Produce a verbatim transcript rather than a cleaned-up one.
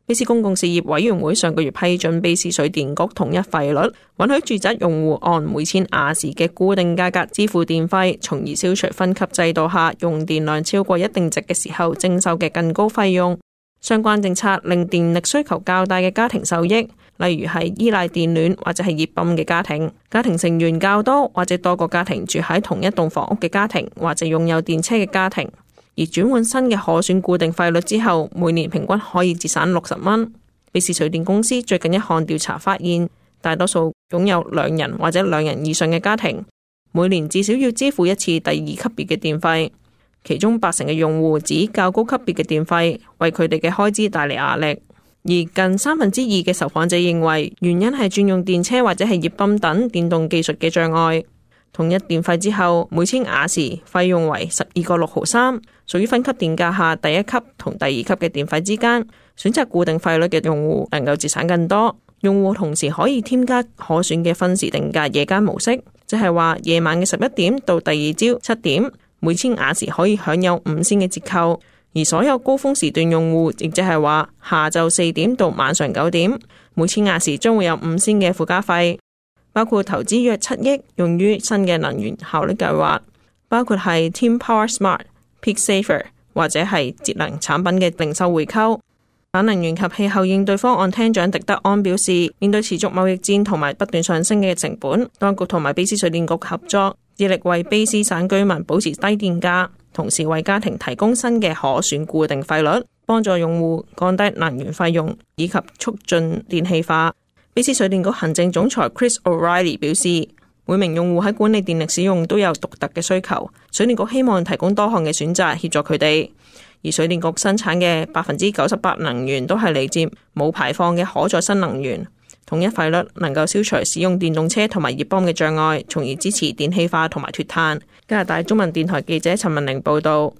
卑斯公共事業委員會上個月批准卑斯水電局統一費率，允許住宅用戶按每千瓦時嘅固定價格支付電費，從而消除分級制度下用電量超過一定值嘅時候徵收嘅更高費用。相關政策令電力需求較大嘅家庭受益，例如係依賴電暖或者係熱泵嘅家庭，家庭成員較多或者多個家庭住喺同一棟房屋嘅家庭，或者擁有電車嘅家庭。而轉換新嘅可選固定費率之後，每年平均可以節省六十蚊。卑斯水電公司最近一項調查發現，大多數擁有兩人或者兩人以上嘅家庭，每年至少要支付一次第二級別嘅電費。其中八成嘅用戶指較高級別嘅電費為佢哋嘅開支帶嚟壓力，而近三分之二嘅受訪者認為原因係轉用電車或者係熱泵等電動技術嘅障礙。統一電費之後，每千瓦時費用為十二個六毫三，屬於分級電價下第一級同第二級嘅電費之間。選擇固定費率嘅用戶能夠節省更多。用戶同時可以添加可選嘅分時定價夜間模式，即係話夜晚嘅十一點到第二朝七點，每千瓦時可以享有五仙嘅折扣。而所有高峰時段用戶，亦即係話下晝四點到晚上九點，每千瓦時將會有五仙嘅附加費。包括投資約七億用於新嘅能源效率計劃，包括係 Team Power Smart、Peak Saver 或者係節能產品嘅零售回購。反能源及氣候應對方案廳長狄德安表示，面對持續貿易戰同埋不斷上升嘅成本，當局同埋卑斯水電局合作，致力為卑斯省居民保持低電價，同時為家庭提供新嘅可選固定費率，幫助用戶降低能源費用以及促進電氣化。卑斯水電局行政總裁 Chris O'Reilly 表示，每名用戶喺管理電力使用都有獨特嘅需求，水電局希望提供多項嘅選擇協助佢哋。而水電局生產嘅百分之九十八能源都係嚟自冇排放嘅可再生能源。統一費率能夠消除使用電動車同埋熱泵嘅障礙，從而支持電氣化同埋脫碳。加拿大中文電台記者陳文玲報道。